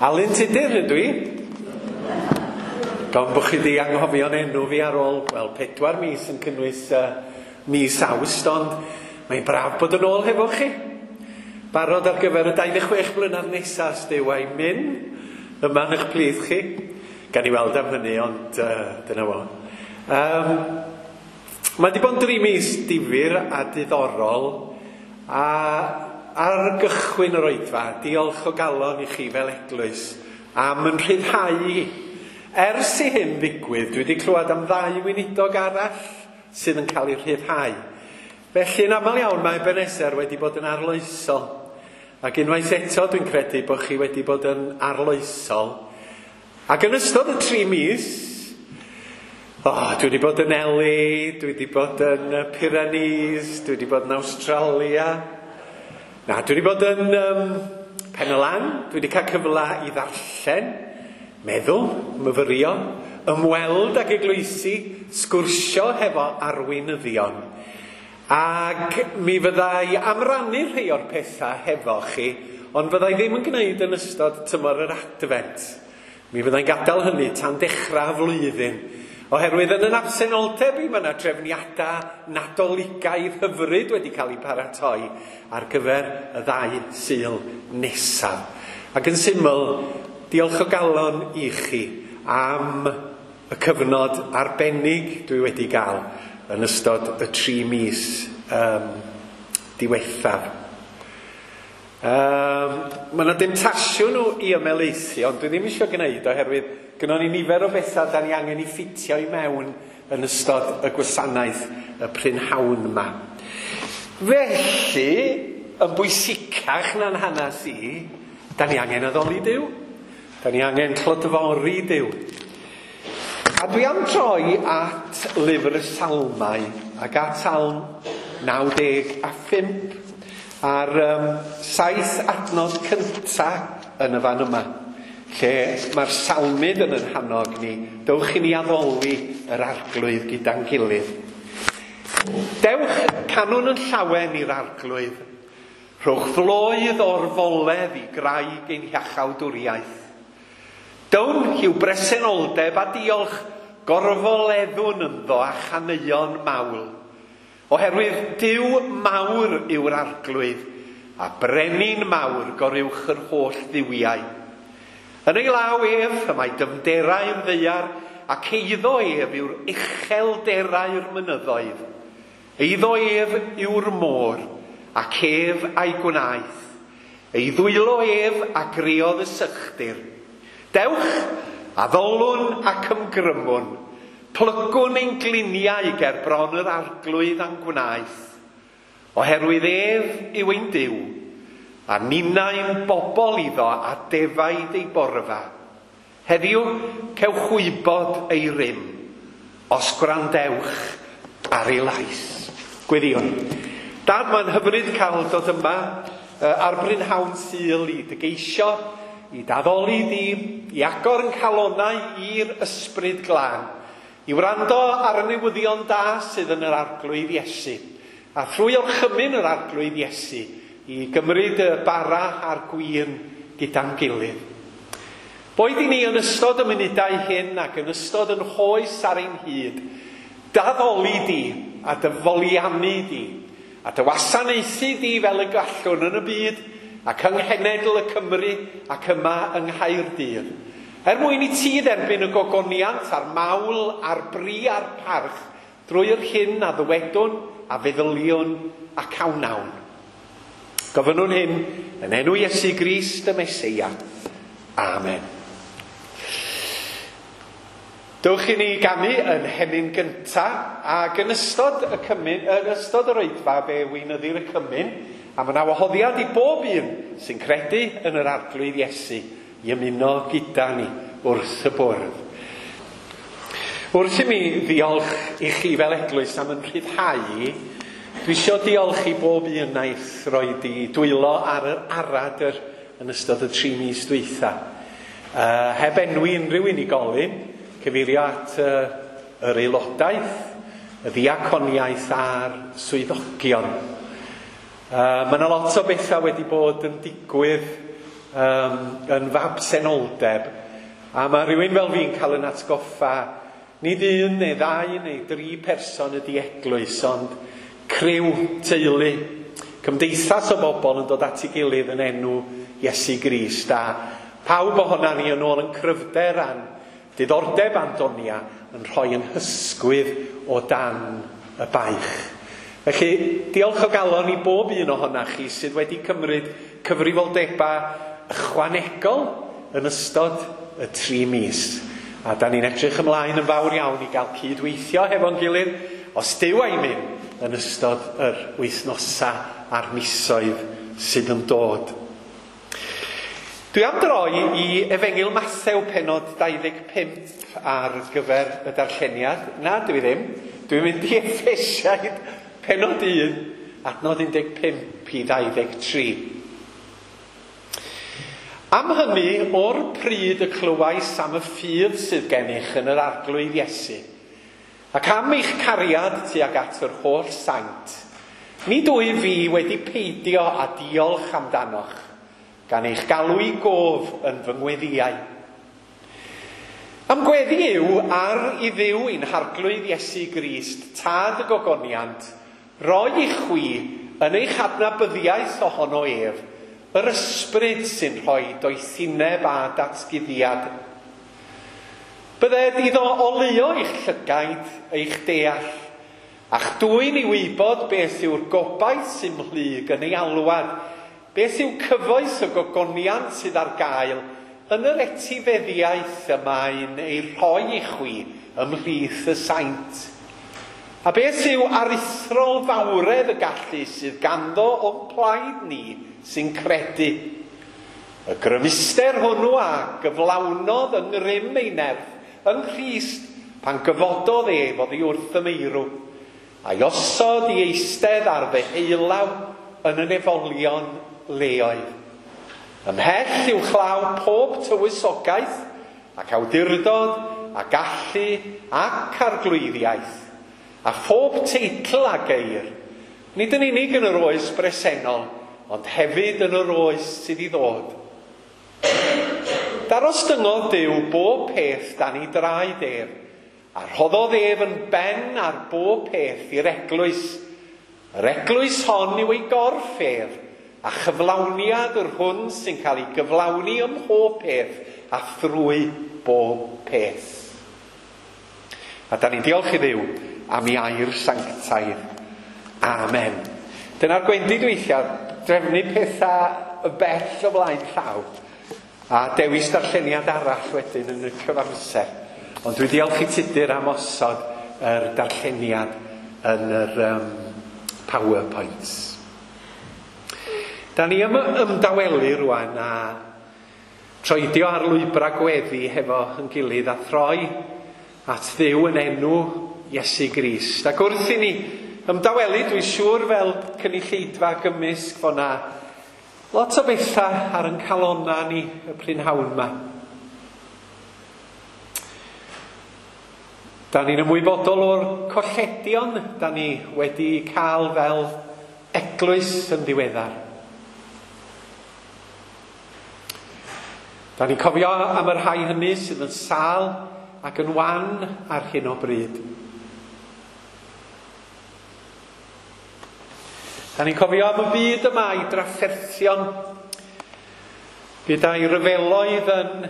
Alun Tudur ydw i. Gan bod chi wedi anghofio'n enw fi ar ôl, wel, 4 mis yn cynnwys mis Awst, ond mae'n braf bod yn ôl hefo chi. Barod ar gyfer y 26 blynedd nesaf, os Duw a'i myn, yma yn eich plith chi. Gan i weld am hynny, ond dyna fo. Mae wedi bod yn 3 mis difyr a diddorol, a ar gychwyn yr oedfa, diolch o galon i chi fel eglwys am yn rhyddhau i. Ers i hyn ddigwydd, dwi wedi clywed am 2 weinidog arall sydd yn cael eu rhyddhau. Felly yn aml iawn mae Ebenezer wedi bod yn arloesol. Ac unwaith eto dwi'n credu bod chi wedi bod yn arloesol. Ac yn ystod y 3 mis, dwi wedi bod yn LA, dwi wedi bod yn Pyrenees, dwi wedi bod yn Australia. Na, dwi wedi bod yn Pen y Lan, dwi wedi cael cyfle i ddarllen, meddwl, myfyrio, ymweld ag eglwysi, sgwrsio hefo arweinyddion. Ac mi fyddai am rannu rhai o'r pethau hefo chi, ond fyddai ddim yn gwneud yn ystod tymor yr Adfent. Mi fyddai'n gadael hynny tan dechrau flwyddyn. Oherwydd yn yn absenoldeb i, mae yna drefniadau Nadoligaidd hyfryd wedi cael eu paratoi ar gyfer y 2 Sul nesaf. Ac yn syml, diolch o galon i chi am y cyfnod arbennig dwi wedi gael yn ystod y 3 mis diwethaf. Mae yna demtasiwn nhw i ymhelaethu, ond dwi ddim eisiau gwneud oherwydd gynnon ni nifer o bethau da ni angen i ffitio i mewn yn ystod y gwasanaeth y prynhawn yma. Felly, yn bwysicach na'n hanes i, da ni angen addoli Duw. Da ni angen clodfori Duw. A dwi am droi at lyfr y Salmau ac at Salm 95 a'r 7 adnod cynta yn y fan yma, lle mae'r salmydd yn hannog ni, dewch i ni addoli yr Arglwydd gyda'n gilydd. Dewch canwn yn llawen i'r Arglwydd, rhowch floedd o'r foledd i graig ein hiachawdwriaeth. Down i'w bresenoldeb a diolch, gorfoleddwn ynddo a chaneuon mawl. Oherwydd Duw mawr yw'r Arglwydd, a brenin mawr goruwch yr holl dduwiau. Yn ei law ef, y mae dyfnderau'r ddaear, ac eiddo ef yw'r uchelderau'r mynyddoedd. Eiddo ef yw'r môr, ac ef a'i gwnaeth. Ei ddwylo ef a greodd y sychdir. Dewch, addolwn ac ymgrymwn, plygwn ein gliniau ger bron yr Arglwydd a'n gwnaeth. Oherwydd ef yw ein Duw, a ninnau'n bobl iddo a defaid ei borfa. Heddiw, cewch wybod ei rym, os gwrandewch ar ei lais. Gweddïwn. Dad, mae'n hyfryd cael dod yma ar brynhawn Sul i dy geisio, i daddoli di, i agor yn calonau i'r Ysbryd Glân, i wrando ar y newyddion da sydd yn yr Arglwydd Iesu, a thrwy orchymyn yr Arglwydd Iesu, i gymryd y bara a'r gwin gyda'n gilydd. Boed i ni yn ystod y munudau hyn ac yn ystod yn hoes ar ein hyd, daddoli di a dy foliannu di, a dy wasanaethu di fel y gallwn yn y byd ac yng nghenedl y Cymru ac yma yng Nghaerdydd. Er mwyn i ti dderbyn y gogoniant a'r mawl a'r bri a'r parch drwy'r hyn a ddywedwn a feddyliwn ac a wnawn. Gofynnwn hyn yn enw Iesu Grist y Meseia. Amen. Dewch i ni ganu yn hemyn gynta, ac yn ystod y cymyn, yn ystod yr oedfa fe weinyddir y cymyn, a mae yna wahoddiad i bob un sy'n credu yn yr Arglwydd Iesu i ymuno gyda ni wrth y bwrdd. Wrth i mi ddiolch i chi fel eglwys am yn rhyddhau i, dwi isio diolch i bob un wnaeth roed i dwylo ar yr aradr yn ystod y 3 mis dwytha. Heb enwi unrhyw unigolyn, cyfeirio at yr aelodaeth, y ddiaconiaeth a'r swyddogion. Mae yna lot o bethau wedi bod yn digwydd yn fabsenoldeb, a mae rhywun fel fi'n cael yn atgoffa nid un neu ddau neu dri person ydy eglwys, ond criw, teulu, cymdeithas o bobl yn dod at ei gilydd yn enw Iesu Grist. A pawb ohona ni yn ôl yn cryfder a'n diddordeb a'n donia yn rhoi yn hysgwydd o dan y baich. Felly, diolch o galon i bob un ohonach chi sydd wedi cymryd cyfrifoldebau ychwanegol yn ystod y 3 mis. A da ni'n edrych ymlaen yn fawr iawn i gael cydweithio hefo'n gilydd, os Duw a'i mynd yn ystod yr wythnosau a'r misoedd sydd yn dod. Dwi am droi i Efengyl Mathew pennod 25 ar gyfer y darlleniad. Na, dwi ddim. Dwi'n mynd i Effesiaid pennod 1, adnod 15 i 23. Am hynny, o'r pryd y clywais am y ffydd sydd gennych yn yr Arglwydd Iesu, ac am eich cariad tuag at yr holl saint, nid wyf fi wedi peidio â diolch amdanoch, gan eich galw i gof yn fy ngweddïau. Am gweddi yw ar i Dduw ein Harglwydd Iesu Grist, Tad y Gogoniant, roi i chwi yn eich adnabyddiaeth ohono ef, yr ysbryd sy'n rhoi doethineb a datguddiad. Bydded iddo oleuo eich llygaid, eich deall, a'ch dwyn i wybod beth yw'r gobaith sy'n mhlyg yn ei alwad, beth yw cyfoeth y gogoniant sydd ar gael yn yr etifeddiaeth y mae'n ei rhoi i chwi ymhlith y saint. A beth yw aruthrol fawredd y gallu sydd ganddo o'n plaid ni sy'n credu. Y grymuster hwnnw a gyflawnodd yng ngrym ei nerth yng Nghrist pan gyfododd ef oddi wrth y meirw, a'i osod i eistedd ar ddeheulaw yn y nefolion leoedd. Ymhell i'w chlaw pob tywysogaeth ac awdurdod a gallu ac arglwyddiaeth, a phob teitl a geir, nid yn unig yn yr oes bresennol, ond hefyd yn yr oes sydd i ddod. Darostyngodd Duw bob peth dan ei draed ef, a rhoddodd ef yn ben ar bob peth i'r eglwys. Yr eglwys hon yw ei gorff ef, a chyflawniad yr hwn sy'n cael ei gyflawni ym mhob peth a thrwy bob peth. A da ni'n diolch i Dduw am ei air sanctaidd. Amen. Dyna'r gwendid weithiau, drefnu pethau y bell o flaen llaw, a dewis darlleniad arall wedyn yn y cyfamser. Ond dwi diolch i Tudur am osod yr darlleniad yn yr PowerPoints. Da ni ymdawelu rwan a troedio ar lwybrau gweddi hefo yn gilydd a throi at Dduw yn enw Iesu Grist. Ac wrth i ni ymdawelu, dwi'n siŵr fel cynulleidfa gymysg fo' na lot o bethau ar yn calonna ni y prynhawn yma. Da ni'n ymwybodol o'r colledion da ni wedi cael fel eglwys yn ddiweddar. Da ni'n cofio am y rhai hynny sydd yn sâl ac yn wan ar hyn o bryd. Da ni'n cofio am y byd yma i drafferthion gyda'i ryfeloedd yn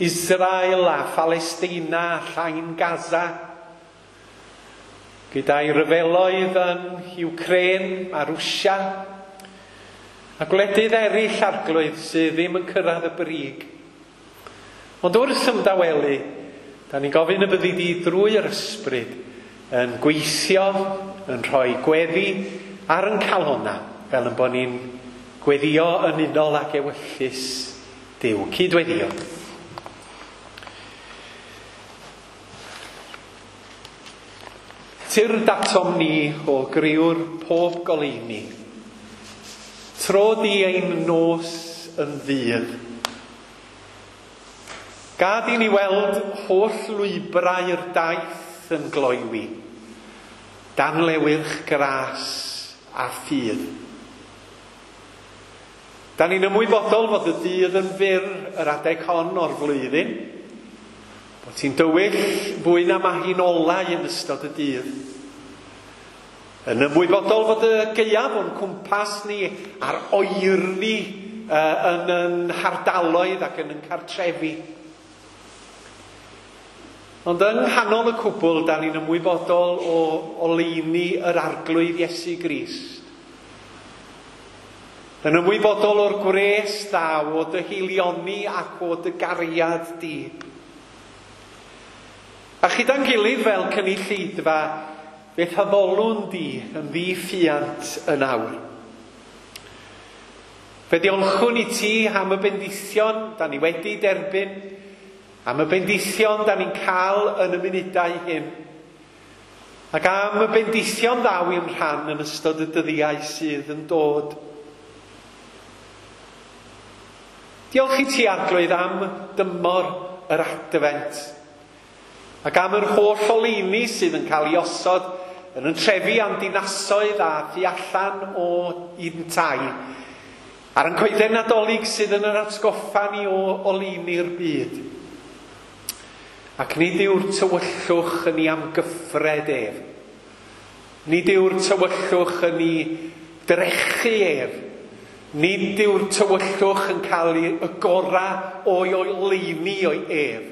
Israel a Phalestina a Llain Gaza, gyda'i ryfeloedd yn Ukraine a Rwsia, a gwledydd eraill arglwydd sydd ddim yn cyrraedd y brig. Ond wrth ymdawelu, da ni'n gofyn y byddi di drwy'r ysbryd yn gweithio, yn rhoi gweddi ar yn calonna, fel yn bod ni'n gweddio yn unol ag ewyllys Duw. Cydweddio. Tyrd atom ni o griwr pob goleuni. Tro di ein nos yn ddydd. Gad i ni weld holl lwybrau'r daith yn gloywi, dan lewyrch gras a ffydd. Da ni'n ymwybodol fod y dydd yn fyr yr adeg hon o'r flwyddyn, bod hi'n dywyll fwy na mae hi'n olau yn ystod y dydd. Yn ymwybodol fod y gaeaf o'n cwmpas ni a'r oerni yn yn hardaloedd ac yn yn cartrefi. Ond yng nghanol y cwbl, da ni'n ymwybodol o oleuni yr Arglwydd Iesu Grist. Yn ymwybodol o'r gwres ddaw o dy haelioni ac o dy gariad di. A chyda'n gilydd fel cynulleidfa, fe'th addolwn di yn ddiffuant yn awr. Fe diolchwn i ti am y bendithion da ni wedi derbyn, am y bendithion da ni'n cael yn y munudau hyn, ac am y bendithion ddaw i'n rhan yn ystod y dyddiau sydd yn dod. Diolch i ti, Arglwydd, am dymor yr Adfent, ac am yr holl oleuni sydd yn cael ei osod yn yn trefi a'n dinasoedd a thu allan o un tai, a'r yn coeden Nadolig sydd yn yr atgoffa ni o oleuni'r byd. Ac nid yw'r tywyllwch yn ei amgyffred ef. Nid yw'r tywyllwch yn ei drechu ef. Nid yw'r tywyllwch yn cael y gorau o'i oleuni o'i ef,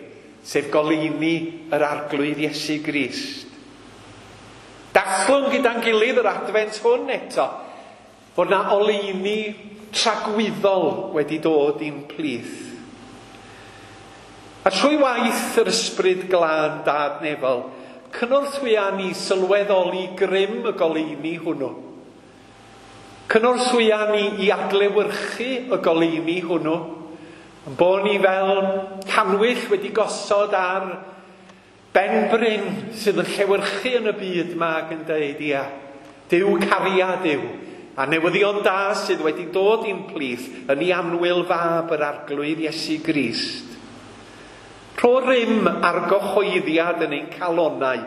sef goleuni yr Arglwydd Iesu Grist. Dathlwn gyda'n gilydd yr Adfent hwn eto, fod na oleuni tragwyddol wedi dod i'n plith. A trwy waith yr Ysbryd Glân Dad Nefol, cynorthwya ni sylweddoli grym y goleuni hwnnw. Cynorthwya ni i adlewyrchu y goleuni hwnnw, yn bod ni fel cannwyll wedi gosod ar ben bryn sydd yn llewyrchu yn y byd yma ac yn dweud, ia, Duw cariad yw, a newyddion da sydd wedi dod i'n plith yn ei annwyl fab yr Arglwydd Iesu Grist. Rho rym ar gyhoeddiad yn ein calonnau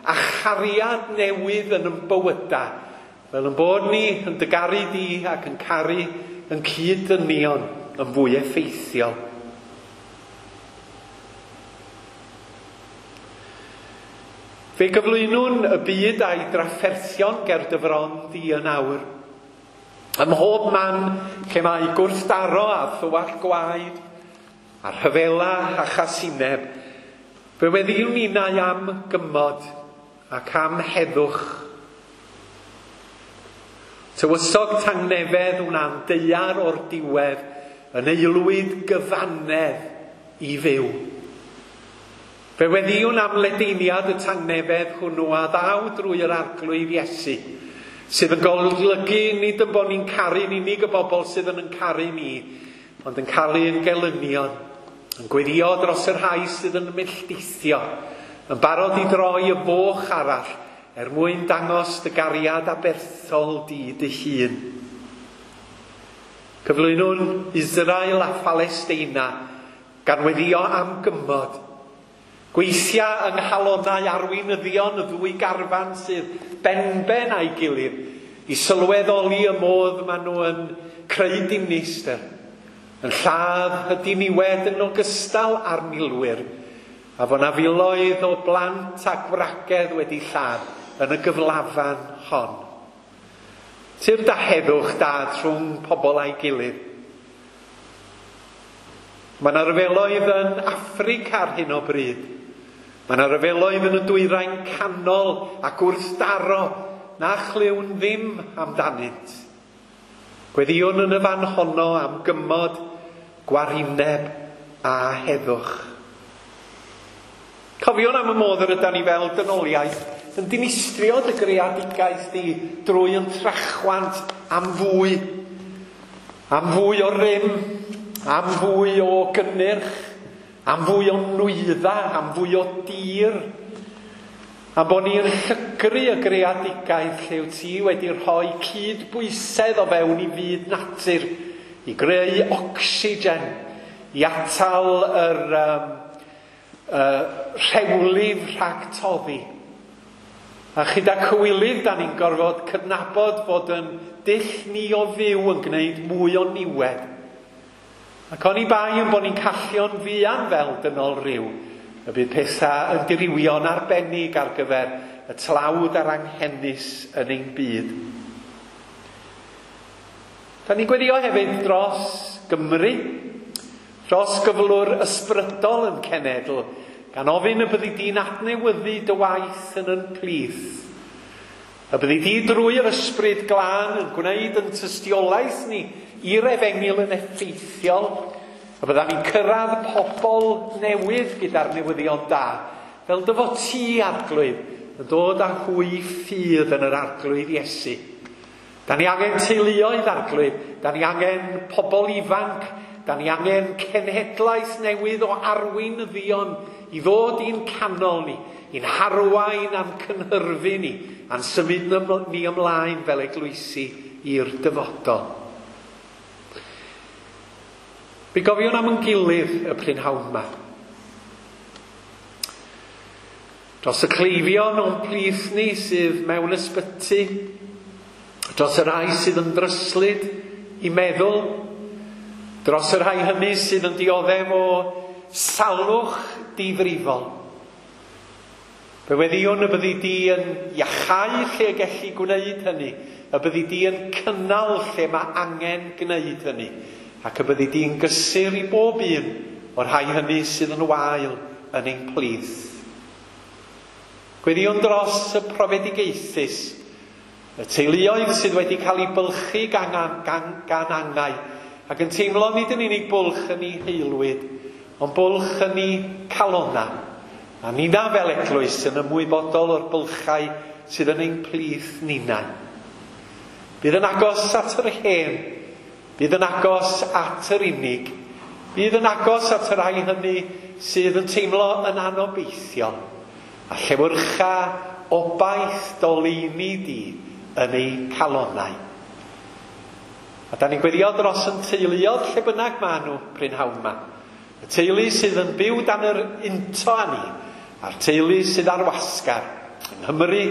a chariad newydd yn ein bywydau, fel yn bod ni yn dy garu di ac yn caru yn cyd-ddynion yn fwy effeithiol. Fe gyflwynwn y byd a'i drafferthion ger dy fron di yn awr. Ym mhob man lle mae gwrthdaro a thywallt gwaed, a rhyfela a chasineb, fe weddïwn ninnau am gymod ac am heddwch. Tywysog tangnefedd wna'n daear o'r diwedd yn aelwyd gyfannedd i fyw. Fe weddïwn am ledaeniad y tangnefedd hwnnw a ddaw drwy yr Arglwydd Iesu, sydd yn golygu nid yn bod ni'n caru'n unig y bobl sydd yn yn caru ni, ond yn cael ein gelynion, yn gweddio dros y rhai sydd yn melltithio, yn barod i droi y foch arall er mwyn dangos dy gariad aberthol di dy hun. Cyflwynwn Israel a Phalesteina gan weddio am gymod. Gweithia yng nghalonnau arweinyddion y ddwy garfan sydd benben a'i gilydd i sylweddoli y modd maen nhw yn creu dinistr, yn lladd y diniwed yn ogystal â'r milwyr, a fod na filoedd o blant a gwragedd wedi lladd yn y gyflafan hon. Tyrd a heddwch Dad rhwng pobl a'i gilydd. Mae yna ryfeloedd yn Affrica ar hyn o bryd. Mae yna ryfeloedd yn y dwyrain canol ac wrthdaro na chlywn ddim amdanynt. Gweddïwn yn y fan honno am gymod, gwarineb a heddwch. Cofiwn am y modd yr ydan ni fel dynoliaeth yn dinistrio dy greadigaeth di drwy yn trachwant am fwy o rym, am fwy o gynnyrch, am fwy o nwyddau, am fwy o dir, a bod ni'n llygru y greadigaeth lle wyt ti wedi rhoi cydbwysedd o fewn i fyd natur, i greu ocsigen, i atal yr rhewlif rhag toddi. A chyda cywilydd, da ni'n gorfod cydnabod fod yn dull ni o fyw yn gwneud mwy o niwed. Ac oni bai yn bod ni'n callio'n fuan fel dynol rhyw, y bydd pethau yn dirywio'n arbennig ar gyfer y tlawd a'r anghenus yn ein byd. Da ni'n gweddio hefyd dros Gymru, dros gyflwr ysbrydol yn cenedl, gan ofyn y byddi di'n adnewyddu dy waith yn yn plith. Y byddi di drwy'r ysbryd glân yn gwneud yn tystiolaeth ni i'r efengyl yn effeithiol, y bydda ni'n cyrraedd pobl newydd gyda'r newyddion da, fel dy fod ti, Arglwydd, yn dod â hwy ffydd yn yr Arglwydd Iesu. Da ni angen teuluoedd, Arglwydd, da ni angen pobl ifanc, da ni angen cenhedlaeth newydd o arweinyddion i ddod i'n canol ni, i'n harwain a'n cynhyrfu ni, a'n symud ni ymlaen fel eglwysi i'r dyfodol. Mi gofiwn am yn gilydd y prynhawn yma. Dros y cleifion o'n plith ni sydd mewn ysbyty, dros y rhai sydd yn dryslyd i meddwl, dros y rhai hynny sydd yn dioddef o salwch difrifol. Fe weddïwn y byddi di yn iachau lle gellu gwneud hynny, y byddi di yn cynnal lle mae angen gwneud hynny, ac y byddi di'n gysur i bob un o'r rhai hynny sydd yn wael yn ein plith. Gweddïwn dros y profedigaethus, y teuluoedd sydd wedi cael eu bylchu gan, gan, gan angau, ac yn teimlo nid yn unig bwlch yn ei heilwyd, ond bwlch yn ei calona. A nina fel eglwys yn ymwybodol o'r bylchau sydd yn ein plith nina. Bydd yn agos at yr hen, bydd yn agos at yr unig, bydd yn agos at y rhai hynny sydd yn teimlo yn anobeithiol, a llewyrcha obaith doleini di yn eu calonau. A da ni'n gweddio dros yn teuluodd lle bynnag maen nhw prynhawn yma. Y teulu sydd yn byw dan yr unto â ni, a'r teulu sydd ar wasgar yng Nghymru,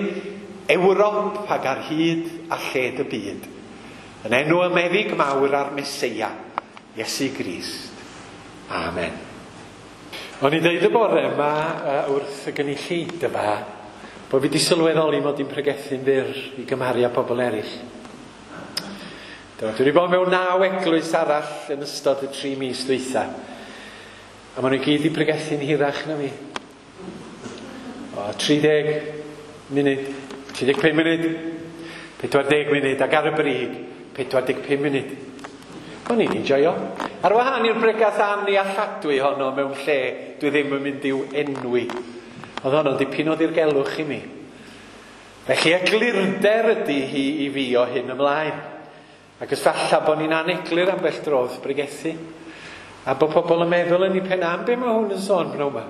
Ewrop ac ar hyd a lled y byd. Yn enw y meddyg mawr a'r Meseia, Iesu Grist. Amen. O'n i'n deud y bore yma wrth y gynulleidfa bod fi wedi sylweddoli mod i'n pregethu'n fyr i gymharu â pobl eraill. Dwi wedi bod mewn 9 eglwys arall yn ystod y 3 mis dwytha. A maen nhw gyd i pregethu'n hirach na fi. O, 30 munud, 35 munud, 40 munud, ac ar y brig, 45 munud. O'n i'n enjoio. Ar wahân i'r bregath annealladwy honno mewn lle dwi ddim yn mynd i'w enwi. Oedd honno'n dipyn o ddirgelwch i mi. Felly eglurder ydy hi i fi o hyn ymlaen. Ac os falla bod ni'n aneglur ambell dro wrth bregethu. A bod pobl yn meddwl yn ei pen am be mae hwn yn sôn pnawn yma.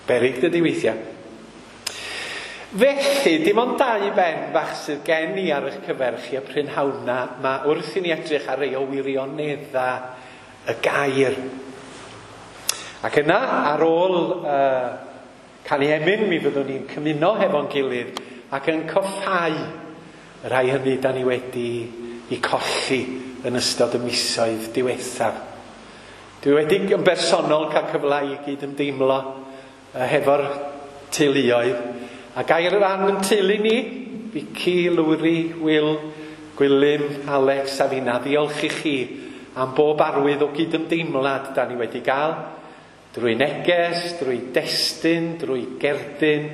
Berig dydy weithiau. Felly, dim ond 2 ben bach sydd gen i ar eich cyfer chi y prynhawn ma wrth i ni edrych ar rei o wirionedda y gair. Ac yna, ar ôl canu emyn, mi fyddwn ni'n cymuno hefo'n gilydd ac yn coffhau y rhai hynny da ni wedi i colli yn ystod y misoedd diwethaf. Dwi wedi yn bersonol cael cyfle i gyd ymdeimlo hefo'r teuluoedd. A gair ran yn teulu ni, Vicky, Lowri, Will, Gwilym, Alex a finna, ddiolch i chi am bob arwydd o gydymdeimlad da ni wedi gael, drwy neges, drwy destun, drwy gerdyn,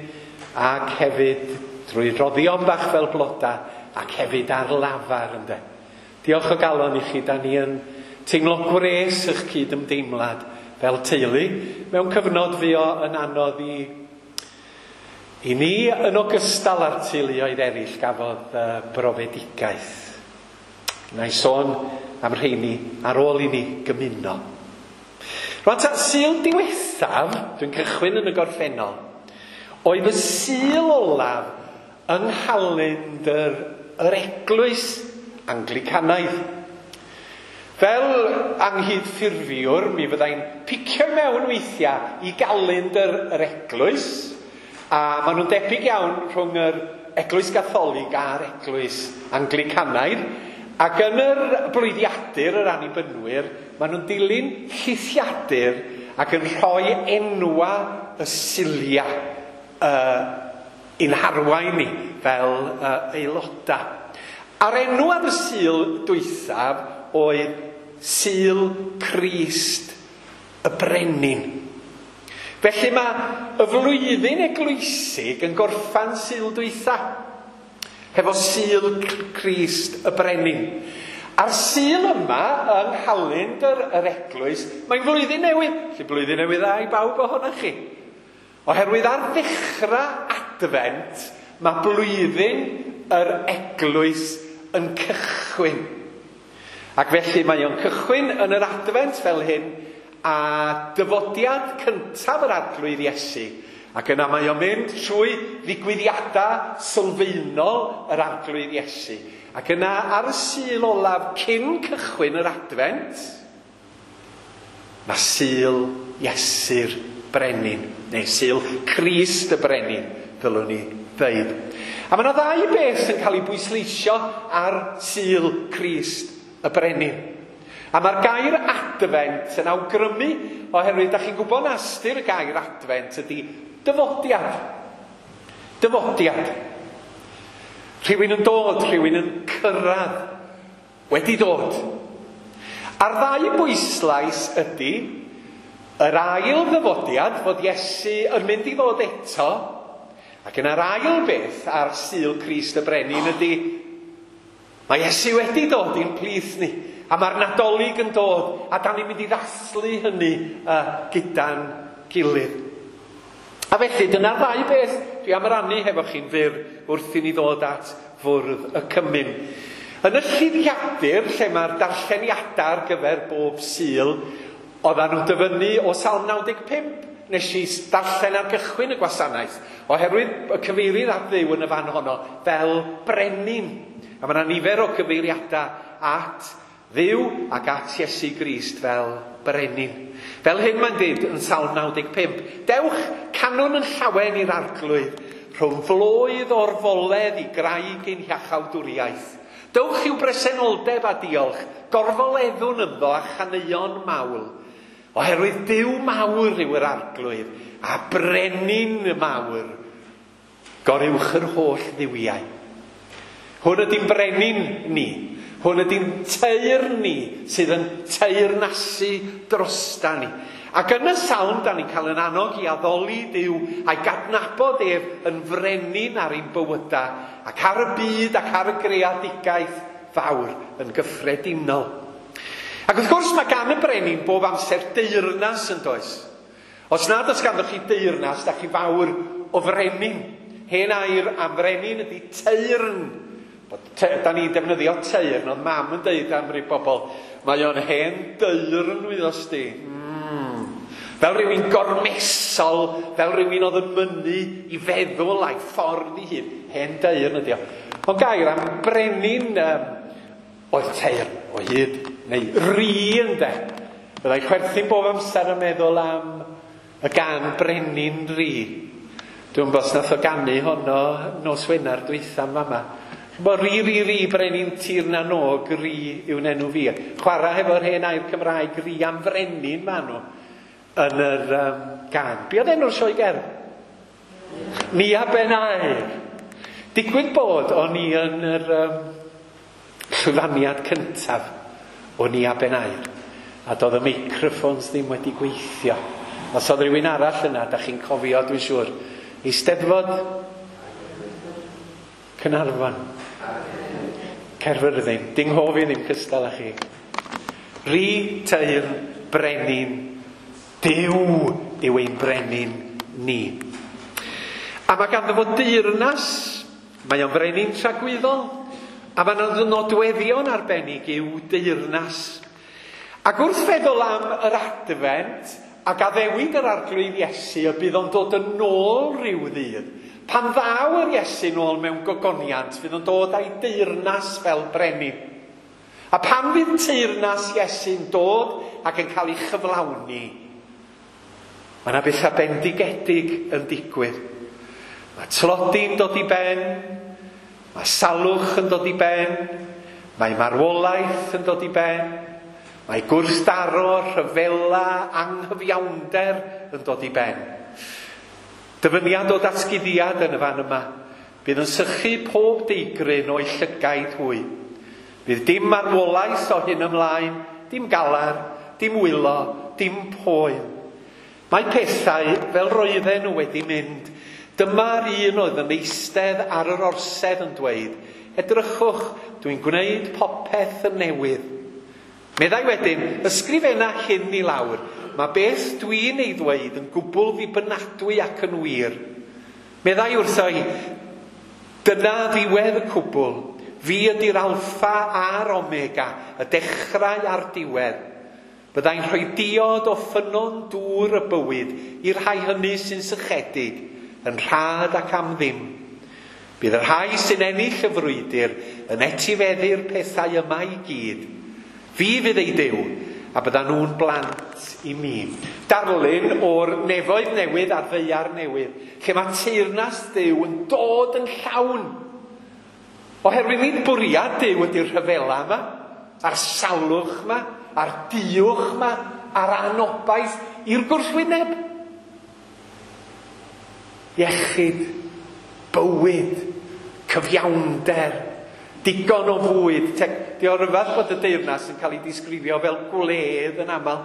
ac hefyd drwy roddion bach fel bloda, ac hefyd ar lafar, ynde. Diolch o galon i chi, da ni yn teimlo gwres eich cydymdeimlad fel teulu, mewn cyfnod fuo yn anodd i ni yn ogystal â'r teuluoedd eraill gafodd brofedigaeth. Na i sôn am rheini ar ôl i ni gymuno. Rwan ta, Sul diwethaf, dwi'n cychwyn yn y gorffennol, oedd y Sul olaf yng nghalendr yr Eglwys Anglicanaidd. Fel anghydffurfiwr, mi fyddai'n picio mewn weithiau i galendr yr Eglwys, A maen nhw'n debyg iawn rhwng yr Eglwys Gatholig a'r Eglwys Anglicanaidd. Ac yn yr blwyddiadur yr Annibynwyr, maen nhw'n dilyn llithiadur ac yn rhoi enwa y Sulia i'n harwain ni fel aelodau. A'r enw ar y Sul dwythaf oedd Sul Crist y Brenin. Felly mae y flwyddyn eglwysig yn gorffan Sul dwytha, hefo Sul Crist y Brenin. A'r Sul yma yng nghalendr yr eglwys, mae'n flwyddyn newydd. Felly blwyddyn newydd dda i bawb ohonoch chi. Oherwydd ar ddechrau Adfent, mae blwyddyn yr eglwys yn cychwyn. Ac felly mae o'n cychwyn yn yr Adfent fel hyn, a dyfodiad cyntaf yr Arglwydd Iesu. Ac yna mae o'n mynd trwy ddigwyddiadau sylfaenol yr Arglwydd Iesu. Ac yna ar y Sul olaf cyn cychwyn yr Adfent, mae Sul Iesu'r Brenin, neu Sul Crist y Brenin, ddylwn ni ddeud. A mae yna ddau beth yn cael ei bwysleisio ar Sul Crist y Brenin. A mae'r gair Adfent yn awgrymu, oherwydd da chi'n gwybod na ystyr y gair Adfent ydy dyfodiad. Dyfodiad. Rhywun yn dod, rhywun yn cyrraedd. Wedi dod. A'r ddau bwyslais ydy yr ail ddyfodiad, fod Iesu yn mynd i ddod eto, ac yna'r ail beth ar Sul Crist y Brenin ydy mae Iesu wedi dod i'n plith ni, a mae'r Nadolig yn dod, a da ni'n mynd i ddathlu hynny gyda'n gilydd. A felly, dyna'r ddau beth dwi am rannu hefo chi'n fyr wrth i ni ddod at fwrdd y cymun. Yn y llithiadur, lle mae'r darlleniadau ar gyfer bob Sul, oedden nhw'n dyfynnu o Salm 95, nes i darllen ar gychwyn y gwasanaeth, oherwydd y cyfeirir at Dduw yn y fan honno fel brenin. A mae yna nifer o cyfeiriadau at Dduw ac at Iesu Grist fel brenin. Fel hyn mae'n dweud yn Salm 95, dewch canwn yn llawen i'r Arglwydd, rhwng floedd o'r foledd i graig ein hiachawdwriaeth. Dewch i'w bresenoldeb a diolch, gorfoleddwn ynddo a chaneuon mawl. Oherwydd Duw mawr yw yr Arglwydd, a brenin mawr, goruwch yr holl dduwiau. Hwn ydy'n brenin ni. Hwn ydy'n teyrn ni sydd yn teyrnasu drosta ni. Ac yn y salm, da ni'n cael yn annog i addoli Duw a'i gadnabod ef yn frenin ar ein bywydau ac ar y byd ac ar y greadigaeth fawr yn gyffredinol. Ac wrth gwrs mae gan y brenin bob amser deyrnas yn does. Os nad oes ganddoch chi deyrnas, da chi fawr o frenin. Hen air am frenin ydy teyrn. Da ni'n defnyddio teyrn, ond mam yn deud am rai bobl, mae o'n hen deyrn wyddos di. Fel rhywun gormesol, fel rhywun oedd yn mynnu i feddwl a'i ffordd ei hun. Hen deyrn ydi o. Ond gair am brenin oedd teyrn o hyd, neu ri ynde. Byddai chwerthin bob amser yn meddwl am y gan brenin ri. Dwi'n gwybod os nath o ganu honno nos Wener dwytha yn fama. Bo ri, ri, ri, brenin tir na nog, ri yw'n enw fi. Chwarae hefo'r hen air Cymraeg, ri am frenin ma nhw yn yr gan. Be oedd enw'r sioe gerdd? Nia Ben Aur. Digwydd bod o'n i yn yr llwyfaniad cyntaf o Nia Ben Aur. A doedd y meicroffons ddim wedi gweithio. Os oedd rhywun arall yna, da chi'n cofio, dwi'n siŵr. Eisteddfod Caernarfon. Caerfyrddin. Ding hofi ddim cystal â chi. Ri, teyrn, brenin, Duw yw ein brenin ni. A mae ganddo fo deyrnas, mae o'n frenin tragwyddol, a mae yna nodweddion arbennig i'w deyrnas. Ac wrth feddwl am yr Adfent, ac addewid yr Arglwydd Iesu y bydd o'n dod yn ôl rhyw ddydd. Pan ddaw yr Iesu nôl mewn gogoniant, fydd o'n dod â'i deyrnas fel brenin. A pan fydd teyrnas Iesu'n dod ac yn cael ei chyflawni, mae yna bethau bendigedig yn digwydd. Mae tlodi'n dod i ben, mae salwch yn dod i ben, mae marwolaeth yn dod i ben, mae gwrthdaro, rhyfela, anghyfiawnder yn dod i ben. Dyfyniad o datguddiad yn y fan yma. Bydd yn sychu pob deigryn o'i llygaid hwy. Bydd dim marwolaeth o hyn ymlaen, dim galar, dim wylo, dim poen. Mae pethau fel roedden nhw wedi mynd. Dyma'r un oedd yn eistedd ar yr orsedd yn dweud, edrychwch, dwi'n gwneud popeth yn newydd. Meddai wedyn, ysgrifenna hyn i lawr. Mae beth dwi'n ei ddweud yn gwbl ddibynadwy ac yn wir. Meddai wrtho i, dyna ddiwedd y cwbl. Fi ydy'r alffa a'r omega, y dechrau a'r diwedd. Byddai'n rhoi diod o ffynnon dŵr y bywyd i'r rhai hynny sy'n sychedig, yn rhad ac am ddim. Bydd y rhai sy'n ennill y frwydr yn etifeddu'r pethau yma i gyd. Fi fydd ei Duw, a byddan nhw'n blant i mi. Darlun o'r nefoedd newydd a'r ddaear newydd, lle mae teyrnas Duw yn dod yn llawn. Oherwydd nid bwriad Duw ydy'r rhyfela yma, a'r salwch yma, a'r diwch yma, a'r anobaith i'r gwrthwyneb. Iechyd, bywyd, cyfiawnder, digon o fwyd. Di o ryfedd bod y deyrnas yn cael ei disgrifio fel gwledd yn aml.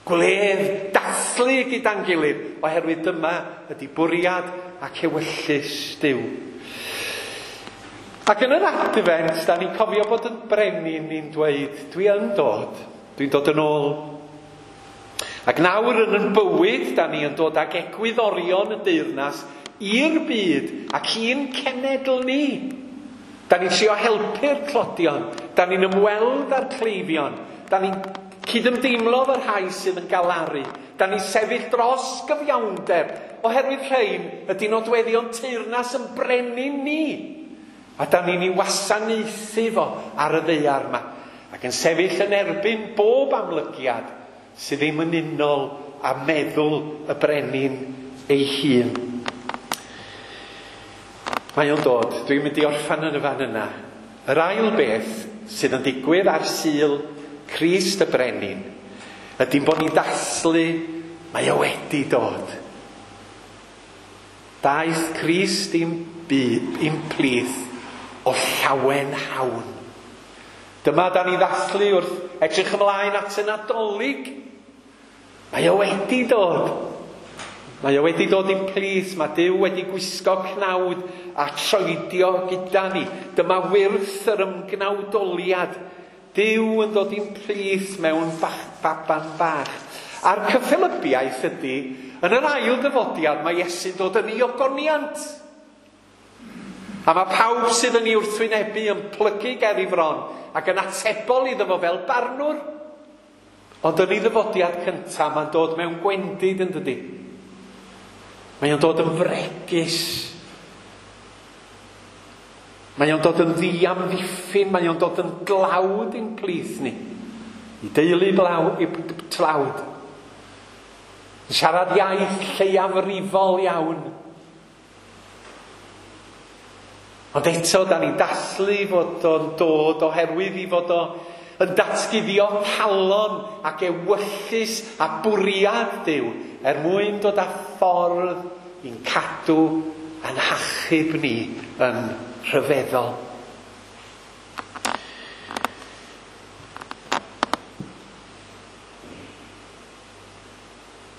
Gwledd dathlu gyda'n gilydd, oherwydd dyma ydy bwriad ac ewyllys Duw. Ac yn yr Adfent, da ni'n cofio bod yn brenin ni'n dweud, dwi yn dod, dwi'n dod yn ôl. Ac nawr yn yn bywyd, da ni yn dod ag egwyddorion y deyrnas i'r byd ac i'n cenedl ni. Da ni'n trio helpu'r tlodion, da ni'n ymweld â'r cleifion, da ni'n cydymdeimlo efo'r rhai sydd yn galaru, da ni'n sefyll dros gyfiawnder, oherwydd rhain ydy nodweddion teyrnas yn brenin ni. A da ni'n ei wasanaethu fo ar y ddaear yma, ac yn sefyll yn erbyn bob amlygiad sydd ddim yn unol â meddwl y brenin ei hun. Mae o'n dod, dwi'n mynd i orffan yn y fan yna. Yr ail beth sydd yn digwydd ar Sul Crist y Brenin ydy'n bod ni'n dathlu, mae o wedi dod. Daeth Crist i'n byd, i'n plith o llawen hawn. Dyma da ni ddathlu wrth edrych ymlaen at y Nadolig. Mae o wedi dod. Mae o wedi dod i'n plith. Mae Duw wedi gwisgo cnawd a troedio gyda ni. Dyma wyrth yr ymgnawdoliad. Duw yn dod i'n plith mewn baban bach. A'r cyffelybiaeth ydy, yn yr ail dyfodiad mae Iesu'n dod yn ei ogoniant. A mae pawb sydd yn ei wrthwynebu yn plygu ger ei fron ac yn atebol iddo fo fel barnwr. Ond yn ei ddyfodiad cyntaf, mae'n dod mewn gwendid yn dydi. Mae o'n dod yn fregus. Mae o'n dod yn ddiamddiffyn, mae o'n dod yn glawd i'n plith ni. I deulu i tlawd. Yn siarad iaith lleiafrifol iawn. Ond eto, da ni'n dathlu fod o'n dod oherwydd i fod o yn datguddio calon ac ewyllys a bwriad Duw er mwyn dod â ffordd i'n cadw a'n hachub ni yn rhyfeddol.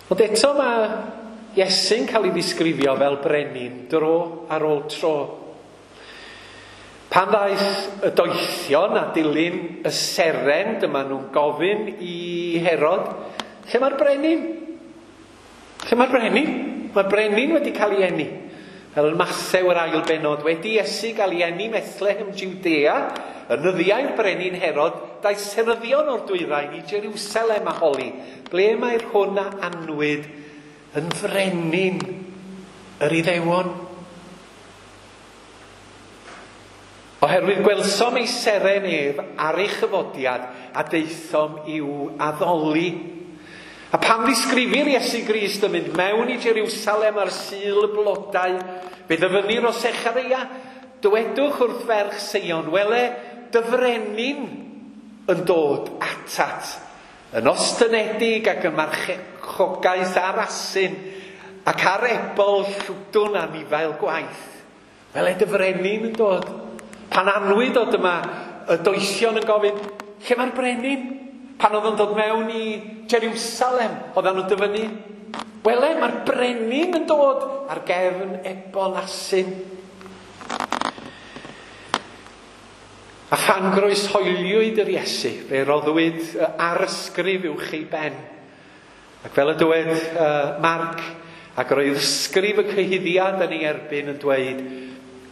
Ond eto mae Iesu'n cael ei ddisgrifio fel brenin dro ar ôl tro. Pan ddaeth y doethion a dilyn y seren, dyma nhw'n gofyn i Herod, lle mae'r brenin? Lle mae'r brenin? Mae'r brenin wedi cael ei eni. Fel yn Mathew yr ail bennod, wedi Iesu gael ei eni Methlehem Judea, yn nyddiau'r brenin Herod, daeth seryddion o'r dwyrain i Jerusalem a holi, ble mae'r hwn a anwyd yn frenin yr Iddewon? Oherwydd gwelsom ei seren ef ar ei chyfodiad a daethom i'w addoli. A pan ddisgrifir Iesu Grist yn mynd mewn i Jerusalem ar Sul y Blodau, fe ddyfynnir o Sechareia, dywedwch wrth ferch Seion, wele, dy frenin yn dod atat, yn ostynedig ac yn marchogaeth ar asyn, ac ar ebol llwdwn anifail gwaith. Wele dy frenin yn dod. Pan anwyd o dyma y doethion yn gofyn, lle mae'r brenin? Pan oedd o'n dod mewn i Jerusalem, oedden nhw'n dyfynnu, wele, mae'r brenin yn dod ar gefn ebol asyn. A phan groeshoeliwyd yr Iesu, fe roddwyd arysgrif uwch ei ben. Ac fel y dywed Marc, ac roedd ysgrif y cyhuddiad yn ei erbyn yn dweud,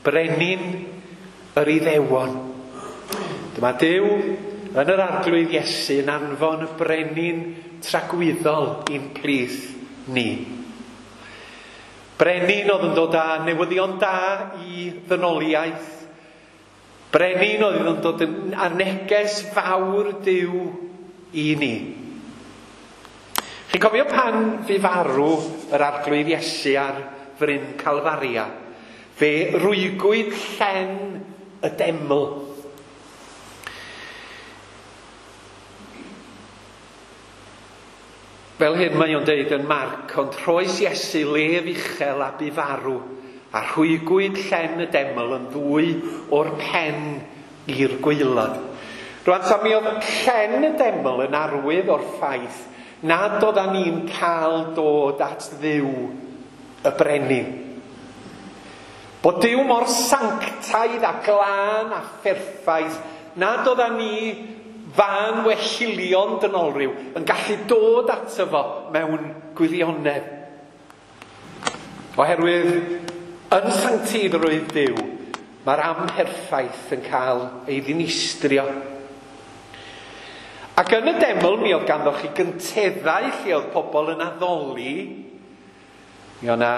brenin yr Iddewon. Dyma Duw yn yr Arglwydd Iesu yn anfon y brenin tragwyddol i'n plith ni. Brenin oedd yn dod â newyddion da i ddynoliaeth. Brenin oedd yn dod â neges fawr Duw i ni. Chi'n cofio pan fu farw yr Arglwydd Iesu ar fryn Calfaria? Fe rwygwyd llen y deml. Fel hyn mae o'n deud yn Marc, ond rhoes Iesu lef uchel a bu farw, a rhwygwyd llen y deml yn ddwy o'r pen i'r gwaelod. Rwan ta mi oedd llen y deml yn arwydd o'r ffaith nad oeddan ni'n cael dod at Dduw y brenin. Bod Duw mor sanctaidd a glân a pherffaith nad oeddan ni fan wellilion dynolryw yn gallu dod ato fo mewn gwirionedd. Oherwydd yn sancteiddrwydd Duw, mae'r amherffaith yn cael ei ddinistrio. Ac yn y deml mi oedd ganddo chi gynteddau lle oedd pobl yn addoli. Mi oedd yna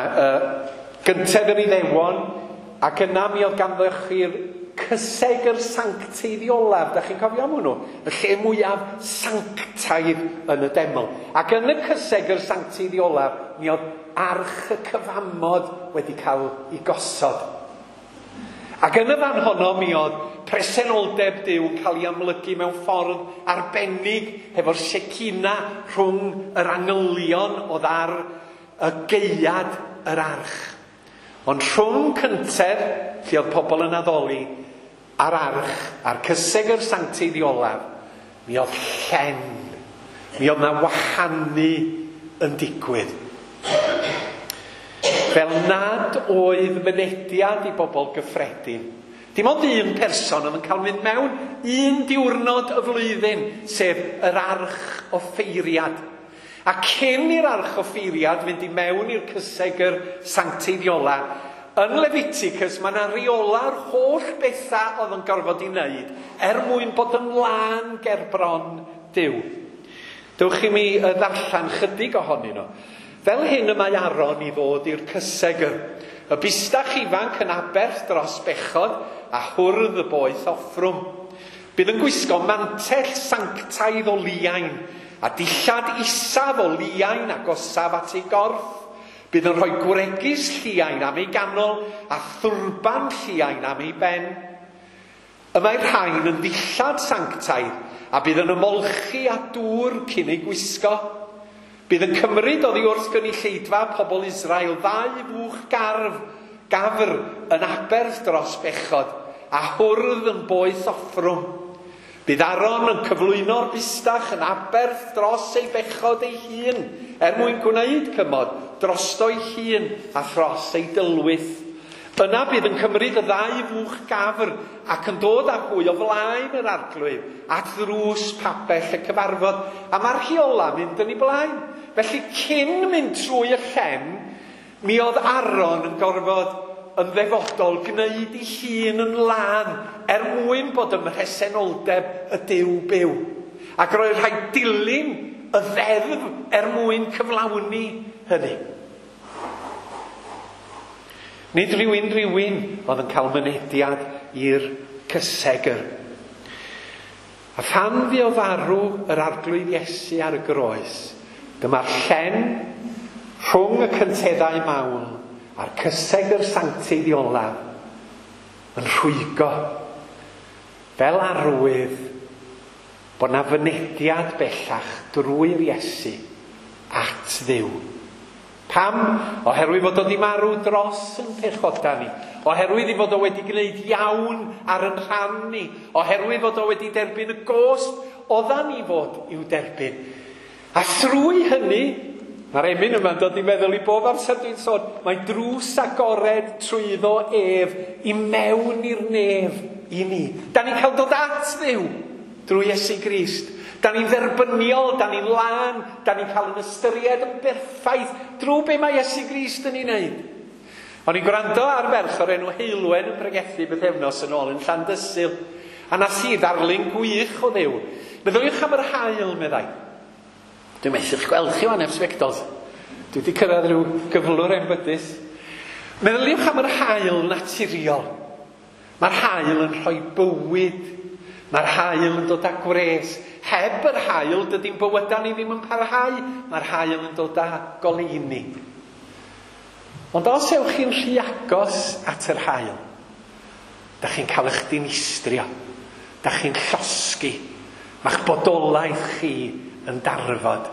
gyntedd yr Iddewon, ac yna mi oedd ganddo chi'r cysegr sancteiddiolaf. Da chi'n cofio am hwnnw? Y lle mwyaf sanctaidd yn y deml. Ac yn y cysegr sancteiddiolaf, mi oedd arch y cyfamod wedi cael ei gosod. Ac yn y fan honno mi oedd presenoldeb Duw yn cael ei amlygu mewn ffordd arbennig hefo'r Shekinah rhwng yr angylion oedd ar y gaead yr arch. Ond rhwng cyntedd, lle oedd pobl yn addoli, a'r arch, a'r cysegr sancteiddiolaf, mi oedd llen, mi oedd na wahanu yn digwydd. Fel nad oedd mynediad i bobl gyffredin. Dim ond un person oedd yn cael mynd mewn un diwrnod y flwyddyn, sef yr arch offeiriad. A cyn i'r arch offeiriad fynd i mewn i'r cysegr sancteiddiola, yn Leviticus mae yna reola'r holl bethau oedd yn gorfod i wneud er mwyn bod yn lân gerbron Duw. Dewch i mi ddarllen chydig ohonyn nhw. Fel hyn y mae Aaron i ddod i'r cysegr. Y bustach ifanc yn aberth dros bechod a hwrdd y boeth offrwm. Bydd yn gwisgo mantell sanctaidd o liain a dillad isaf o liain agosaf at ei gorff. Bydd yn rhoi gwregys lliain am ei ganol a thwrban lliain am ei ben. Y mae'r rhain yn ddillad sanctaidd a bydd yn ymolchi â dŵr cyn ei gwisgo. Bydd yn cymryd oddi wrth gynulleidfa pobl Israel ddau fwch gafr yn aberth dros bechod a hwrdd yn boeth offrwm. Bydd Aaron yn cyflwyno'r bustach yn aberth dros ei bechod ei hun er mwyn gwneud cymod drosto'i hun a thros ei dylwyth. Yna bydd yn cymryd y ddau fwch gafr ac yn dod â hwy o flaen yr arglwydd at ddrws pabell y cyfarfod, a mae'r rheola mynd yn ei blaen. Felly cyn mynd trwy y llen, mi oedd Aaron yn gorfod yn ddefodol gwneud ei hun yn lân er mwyn bod ym mhresenoldeb y Duw byw. Ac roedd rhaid dilyn y ddeddf er mwyn cyflawni hynny. Nid rhywun oedd yn cael mynediad i'r cysegr. A phan fu o farw yr Arglwydd Iesu ar y groes, Dyma'r llen rhwng y cynteddau mawl a'r cysegr sanctaidd olaf yn rhwygo fel arwydd bod 'na fynediad bellach drwy'r Iesu at Dduw. Pam? Oherwydd fod o 'di marw dros yn pechoda ni. Oherwydd ei fod o wedi gwneud iawn ar yn rhan ni. Oherwydd fod o wedi derbyn y gost oddan ni fod i'w derbyn. A thrwy hynny, mae'r emyn yma'n dod i meddwl i bob amser dwi'n sôn, mae drws agored trwyddo ef i mewn i'r nef i ni. Da ni'n cael dod at Dduw drwy Iesu Grist. Da ni'n dderbyniol, da ni'n lân, da ni'n cael yn ystyried yn berffaith drwy be mae Iesu Grist yn ei wneud. O'n i'n gwrando ar ferch o'r enw Heulwen yn pregethu bythefnos yn ôl yn Llandysul, a nath hi ddarlun gwych o Dduw. Meddyliwch am yr haul, meddai. Dwi'n methu'ch gweld chi wan heb sbectols. Dwi wedi cyrraedd rhyw gyflwr enbydus. Meddyliwch am yr haul naturiol. Mae'r haul yn rhoi bywyd. Mae'r haul yn dod â gwres. Heb yr haul, dydy'n bywydau ni ddim yn parhau. Mae'r haul yn dod â goleuni. Ond os ewch chi'n rhy agos at yr haul, da chi'n cael eich dinistrio. Da chi'n llosgi. Mae'ch bodolaeth chi yn darfod.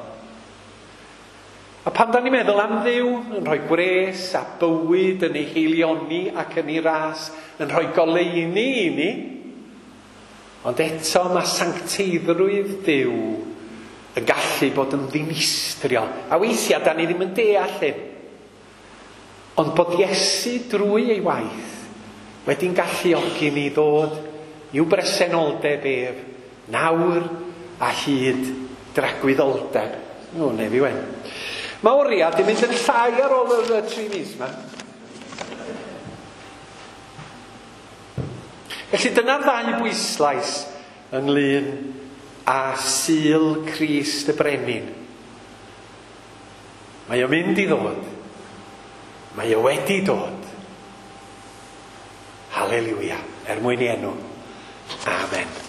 A pan da ni'n meddwl am Dduw, yn rhoi gwres a bywyd yn ei haelioni ac yn ei ras, yn rhoi goleuni i ni, ond eto mae sancteiddrwydd Duw yn gallu bod yn ddinistriol. A weithiau da ni ddim yn deall hyn. Ond bod Iesu drwy ei waith wedi'n galluogi ni ddod i'w bresenoldeb ef nawr a hyd dragwyddoldeb. O, nef i wen. Mae oriau di mynd yn llai ar ôl yr 3 mis yma. Felly dyna'r ddau bwyslais ynglyn â Sul Crist y Brenin. Mae o'n mynd i ddod. Mae o wedi dod. Haleluia. Er mwyn i enw. Amen.